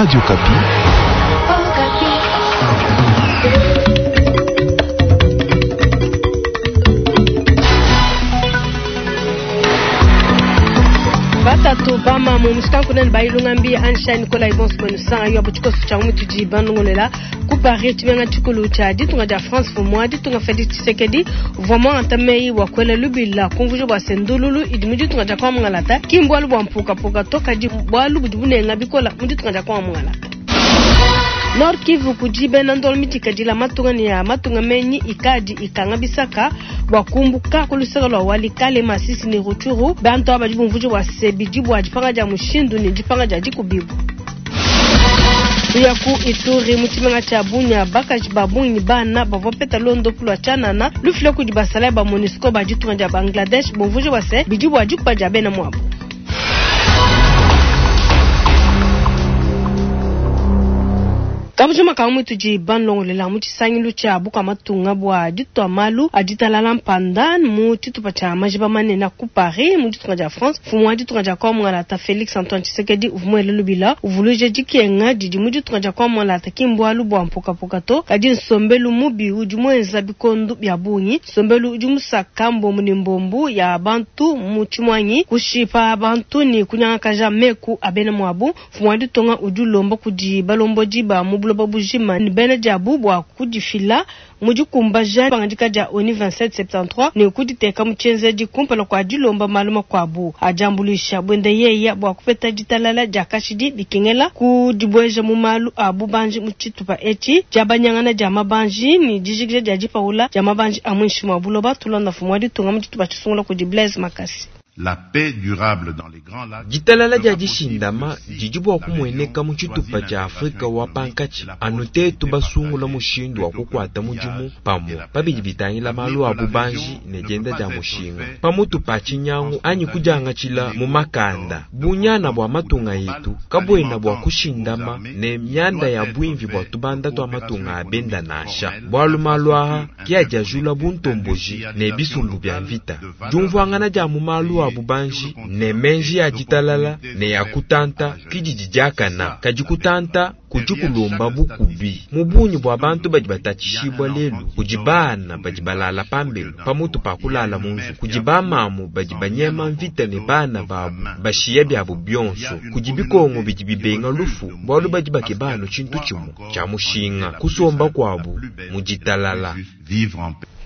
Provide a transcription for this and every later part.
Radio Okapi. Batatu bamamu mushikankunene bayilunga mbi ansha Nicolas Ibonso mwenu sanga yo butshikoso tsha mutudi banongolela ku Paris tshimenga tshikulu tsha ditunga dia France mfumu wa ditunga Felix Tshisekedi uvua muangata meyi bua kuela lubila kumvuija bua se ndululu idi mu ditunga dia kwa mungalata ki mbualu bua mpukapuka to kadi bualu budi bunenga bikola mu ditunga dia kwa mungalata. Nord Kivu kudi bena ndolo mitikadila matunga ne ya matunga menyi ikadi ikanga bisaka bua kumbuka ku luseke lua Walikale, Masisi ne Rutshuru. Bantu aba badi bumvuija bua se bidi bua dipanga dia mushindu ne dipanga dia dikubibua. Tuya ku Ituri mu tshimenga tshia Bunia, bakaji ba bungi ne bana bavua bapeta luondopu lua tshianana lufila kudi basalayi ba MONUSCO ba ditunga dia Bangladesh bumvuija bua se bidi bua dikuba dia bena muabu. Kabujima ka mutudi banlongolela mu tshisangilu tshia bukua matunga bua ditua malu a ditalala mpanda mu tshitupa tshia majiba manene ku Paris mu ditunga dia France. Mfumu wa ditunga dia Congo Mungalata Felix Antoine Tshisekedi uvua muele lubila uvuluija dikenga didi mu ditunga dia Congo Mungalata ki mbualu bua mpukapuka to, kadi nsombelu mubi udi muenza bikondo bia bungi, nsombelu udi musaka mbombu ne mbombu ya bantu mu tshimuangi, kushipa bantu ne kunyangakaja meku a bena muabu. Mfumu wa ditunga udi ulomba kudi balombodi ba mu buloba bujima ne bena diabu bua kudifila mu dikumbaja dipangadika dia ONU 2773 ne kuditeka mu tshienzedi kumpala kua dilomba malu makuabu a diambuluisha buende yeya bua kupeta ditalala dia kashidi bikengela kudibueja mu malu a bubanji mu tshitupa etshi, diabanyangana dia mabanji ne dijikija dia dipawula dia mabanji a muinshi mua buloba. Tulonda mfumu wa ditunga mu tshitupa tshisungula kudi Blaise Makasi. La paix durable dans les Grands Lacs Ditalala dia dishindama didi bua kumueneka mu tshitupa tshia Afrika wa pankatshi anu tetu basungula mushindu wa kukuata mudimu pamue pa bidi bitangila malu a bubanji ne dienda dia mushinga pamutu pa tshinyangu anyi kudiangatshila mu makanda. Bunyana bua matunga etu kabuena bua kushindama ne mianda ya buimvi bua tubanda tua matunga a benda nansha, bualu malu aa ke adi ajula buntomboji ne bisumbu bia mvita. Diumvuangana dia mu malu a bubanji ne meji a ditalala ne a kutanta ke didi diakana, kadi kutanta kudi kulomba bukubi. Mu bungi bua bantu badi batatshishibua lelu, kudi bana badi balala pambelu pamutu pa kulala mu nzubu, kudi bamamu badi banyema mvita ne bana babu bashiya biabu bionso, kudi bikongo bidi bibenga lufu bualu badi bakeba anu tshintu tshimue tshia mushinga, kusomba kuabu mu ditalala.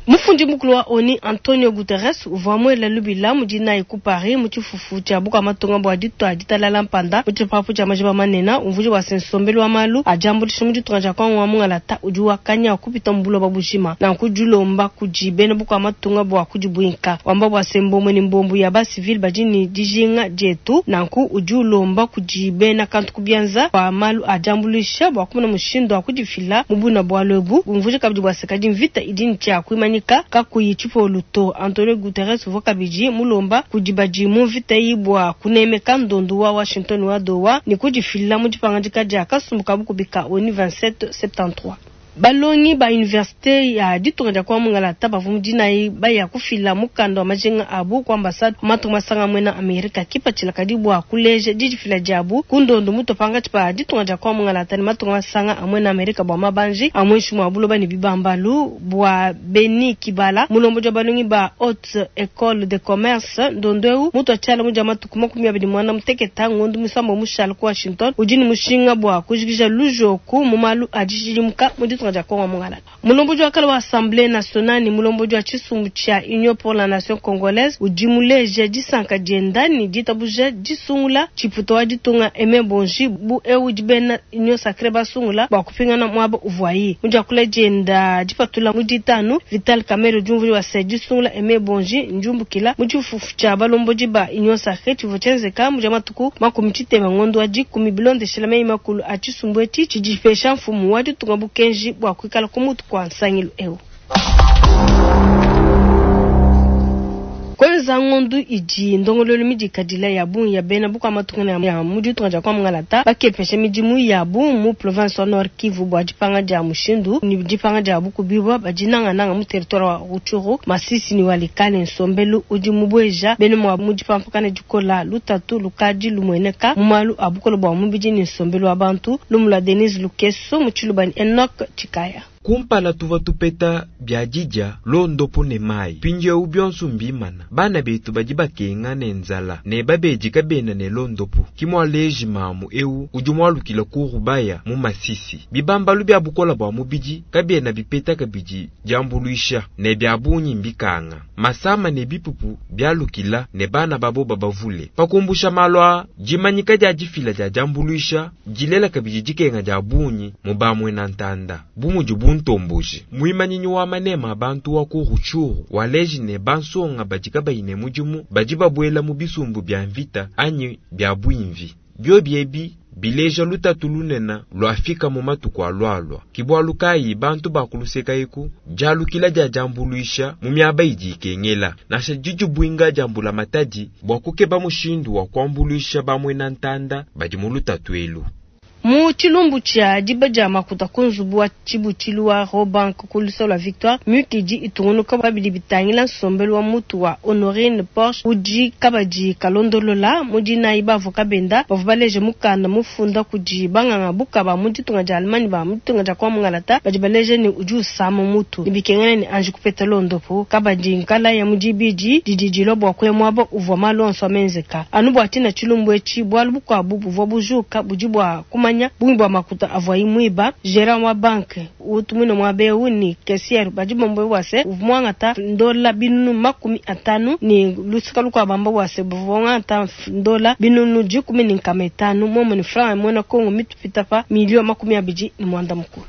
Mufundi mukulu wa ONU Antonio Guterres uvua muele lubila mu dinayi ku Paris mu tshifufu tshia bukua matunga bua ditua ditalala mpanda mu tshipapu tshia majiba manene, umvuija bua se nsombelu wa malu a diambuluisha mu ditunga dia Congo wa mungalata udi wakanya kupita mu buloba bujima, nanku dilomba kudi bena bukua matunga bua kudibuinka, wamba bua se mbombo ne mbombo ya ba civil badi ne dijinga dietu, nanku udi ulomba kudi bena kantu ku bianza bua malu a diambuluisha bua kumona mushindu wa kudifila mu buna bualu ebu, umvuija kabidi bua se kadi mvita idi ne tshia kuimanyika kakuyi tshipolu to. Antonio Guterres uvua kabidi mulomba kudi badi mu mvita eyi bua kunemeka ndondu wa Washington wa Doha ne kudifila mu dipangadika dia kasumbu ka bukubi ka ONU 2773. Balongi ba universite ya ditunga dia kwa mungalata bavua mu dinayi baya kufila mukanda wa majinga abu ku ambassade wa matunga masanga muena Amerika kipatshila kadi bua kuleja didifila diabu ku ndondo mutua pankatshi pa ditunga dia kwa mungalata ne matunga masanga a muena Amerika bua mabanji a muinshi mua buloba ne bibambalu. Bua Beni Kibala, mulombodi wa balongi ba Haute Ecole de Commerce, ndondo eu mutua tshiala mu dia matuku 28 ngondo muisambombo mushala ku Washington udi ne mushinga bua kujikija lujoku mu malu a dishidimuka mu ditunga dia Congo mungalata. Mulombodi wa kale wa Assemblee nationale ne mulombodi wa tshisumbu tshia Union pour la nation congolaise udi muleja disanka dienda ne ditabuja disungula tshiputa wa ditunga Aime Bonji bu eu udi bena Union sacree basungula bua kupingana muaba uvuayi. Mu diakula dienda dipatula mu ditanu, Vital Kamerhe udi umvuija bua se disungula Aime Bonji ndiumbukila mu tshifufu tshia balombodi ba Union sacree tshivua tshienzeka mu dia matuku 60 ngondo wa 10 bilondeshela meyi makulu a tshisumbu etshi tshidi tshipesha mfumu wa ditunga bukenji bua kuikala ku mutu kua nsangilu eu. Kuenza Kuenza ngondu idi ndongoluelu midikadila ya bungi ya bena bukua matunga ya mu ditunga dia Kwa-Mungalata bakepesha midimu yabu mu province wa Nord Kivu bua dipanga dia mushindu ne dipanga dia bukubibua badi nangananga mu territoire wa Rutshuru, Masisi ne Walikale. Nsombelu udi mubueja bena muabu mu dipampakana dikola, lutatu lukadi lumueneka mu malu a bukole bua mubidi ne nsombelu wa bantu. Lumu lua Denise Lukeso mu Tshiluba ne Enoch Tshikaya. Kumpala tuvua tupeta bia didia, londopu ne mayi. Mpindieu bionso mbimana. Bana betu badi bakenga ne nzala ne babedi kabena ne londopu. Ke mualeji mamu eu udi mualukile ku Rubaya mu Masisi. Bibambalu bia bukola bua mubidi kabiena bipeta kabidi diambuluisha, ne bia bungi mbikanga. Masama ne bipupu bialukila ne bana babo babavule. Pa kumbusha malu aa, dimanyika dia difila dia diambuluisha dilela kabidi dikenga dia bungi mu bamuena ntanda, bu mudi buntomboji. Muimanyinyi wa manema a bantu wa ku Rutshuru waleji ne bansonga badi kabayi ne mudimu badi babuela mu bisumbu bia mvita anyi bia buimvi. Biobi ebi bileja lutatu lunene luafika mu matuku alualua. Ke bualu kayi bantu ba ku luseka eku dialukila dia diambuluisha mu miaba idi ikengela, nansha didibuinga dia mbulamatadi bua kukeba mushindu wa kuambuluisha bamuena ntanda badi mu lutatu elu. Mu tshilumbu tshia diba dia makuta ku nzubu wa tshibutshilu wa Rawbank ku luseke lua Victoire, miyuki idi itungunuka pa bidi bitangila nsombelu wa mutu wa Honorine Porsche udi kabadi kalondolola. Mu dinayi bavua kabenda bavua baleje mukanda mufunda kudi banganga buka ba mu ditunga dia Allemagne ba mu ditunga dia Kwa Mungalata badi baleja ne udi usama mutu ne bikengela ne anji kupeta londopu. Kabadi nkalaya mu dibidi didi dilua bua kuya muaba uvua malu onso amenzeka. Anu bua tshina tshilumbu etshi, bualu bukuabu buvua bujuka budi bua kumanya bungi bua makuta avuayi muiba. Gerant wa banke utu muine muaba eu ne caissiere badi bamba bua se uvua muangata ndola 500 ne luseka lukuabu bamba bua se bavua bangata ndola 10500 momwe ne franc ya muena Congo mitupita pa miliyo 28.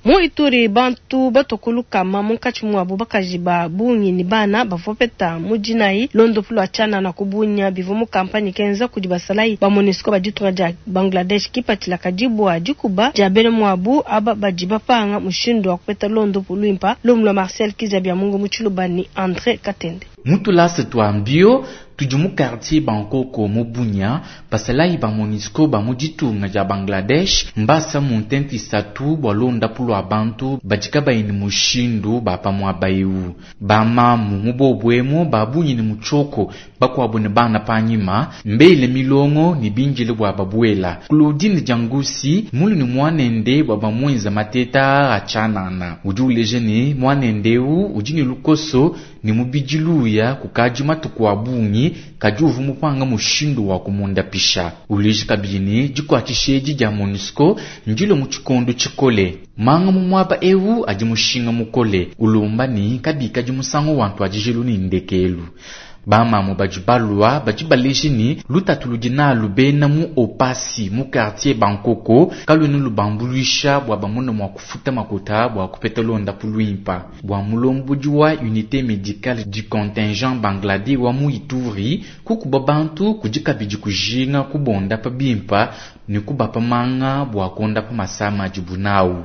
Mu Ituri, bantu batue ku lukama munkatshi muabu bakaji ba bungi ne bana bavua bapeta mu dinayi londopu lua tshianana ku Bunia. Bivua mu kampanye kenza kudi basalayi ba MONUSCO ba ditunga dia Bangladesh. Kipatshila kadi bua dikuba dia bena muabu aba badi bapanga mushindu wa kupeta londopu luimpa. Lumu lua Marcel Kizza Biamungu mu Tshiluba ne Andre Katende. Mu tulasa tua mbio tudi mu quartier Bankoko mu Bunia, basalayi ba MONUSCO ba mu ditunga dia Bangladesh mbasa mu ntente isatu bua londapu lua bantu badi kabayi ne mushindu ba pa muaba eu. Ba mamu mu bobu emu ba bungi ne mutshioko, bakuabu ne bana panyima, mbele milongo ne bindile bua babuela. Claudine Diangusi mulu ne muanende bua bamuenza mateta a tshianana. Udi uleja ne muanende eu udi ne lukoso ne mubidi luya kukadi matuku a bungi kadi uvua mupanga mushindu wa kumundapisha. Uleja kabidi ne dikuatshisha edi dia MONUSCO ndilo mu tshikondo tshikole. Manga mu muaba eu adi mushinga mukole, ulomba ne kabikadi musangu wa ntuadijilu ne ndekelu. Bamamu badi balua badi baleja ne lutatu ludi nalu bena mu Opasi mu quartier Bankoko kaluena lubambuluisha bua bamone mua kufuta makuta bua kupeta londapu luimpa. Bua mulombodi wa unité médicale du contingent Bangladesh wa mu Ituri kukuba bantu kudi kabidi kujinga kubondapa bimpa ne kubapa manga bua kuondapa masama adibu nawu.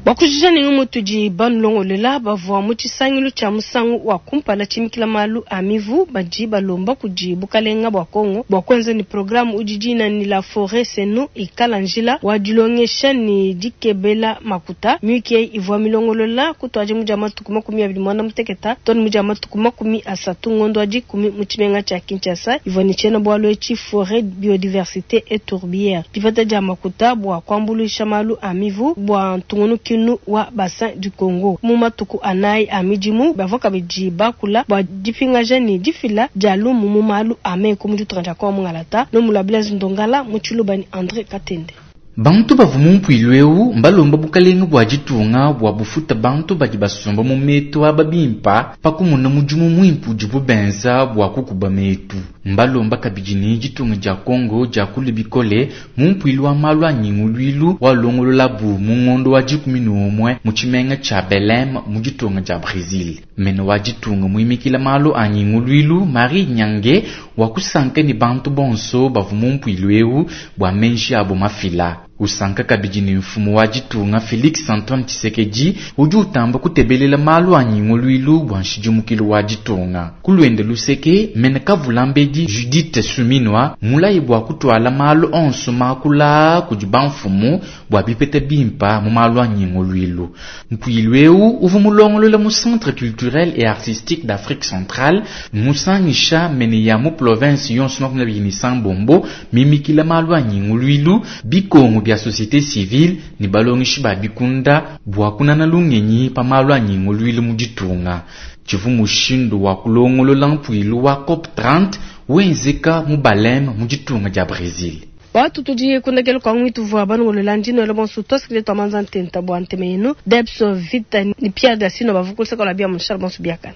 Bua kujija ne ngumu tudi banulongolela bavua mu tshisangilu tshia musangu wa kumpala tshimikila malu a mivu badi balomba kudi bukalenga bua Congo bua kuenza ne programme udi dina ni la forêt c'est nous ikala njila wa dilongesha ne dikebela makuta. Miyuki eyi ivua milongolola kutuadija mu dia matuku 28 too ne mu dia matuku 30 ngondo wa 10 mu tshimenga tshia Kinshasa ivua ne tshiena-bualu etshi forêt biodiversité et tourbière. Dipeta dia makuta bua kuambuluisha malu a mivu bua ntungunukilu wa bassin du Congo. Mu matuku anayi a midimu bavua kabidi bakula bua dipingaja ne difila dia lumu mu malu a meku mu ditunga dia Congo Mungalata. Lumu lua Blaise Ndongala mu Tshiluba ne Andre Katende. Bantu bavua mu mpuilu eu mbalomba bukalenge bua ditunga bua bufuta bantu badi basomba mu metu aba bimpa pa kumona mudimu muimpe udibu benza bua kukuba metu. Mbalomba kabidi ne ditunga dia Congo dia kule bikole mu mpuilu wa malu a nyinguluilu walongololabu mu ngondo wa 11 mu tshimenga tshia Belém mu ditunga dia Brésil. Mene wa ditunga muimikila malu a nyinguluilu Marie Nyange wakusanka ne bantu bonso bavua mu mpuilu eu bua menji abo mafila. Usanka kabidi ne mfumu wa ditunga Felix Antoine Tshisekedi udi utamba kutebelela malu a nyinguluilu bua nshidimukilu wa ditunga. Ku luende luseke, mene Kavulambedi Judith Suminwa mulayi bua kutwala malu onso makula kudi bamfumu bua bipeta bimpa mu malu a nyinguluilu. Mpuilu eu uvua mulongolola mu Centre culturel et artistique d'Afrique centrale musangisha mene ya mu province yonso 26 mimikila malu a nyinguluilu bikongo bia société civile ne balongeshi ba bikunda bua kunana lungenyi pa malu a nyinguluilu mu ditunga. Tshivua mushindu wa kulongolola mpuilu wa COP 30 wenzeka mu Belém mu ditunga dia Brésil. Watu tudi kundekela kwa ngwitu vua banongolola ndino elo bonso twasikile twamanza ntenta bua nteme yenu Debs Vita ni Pierre Dasino bavukulisa kola bia mushal bonso biakana.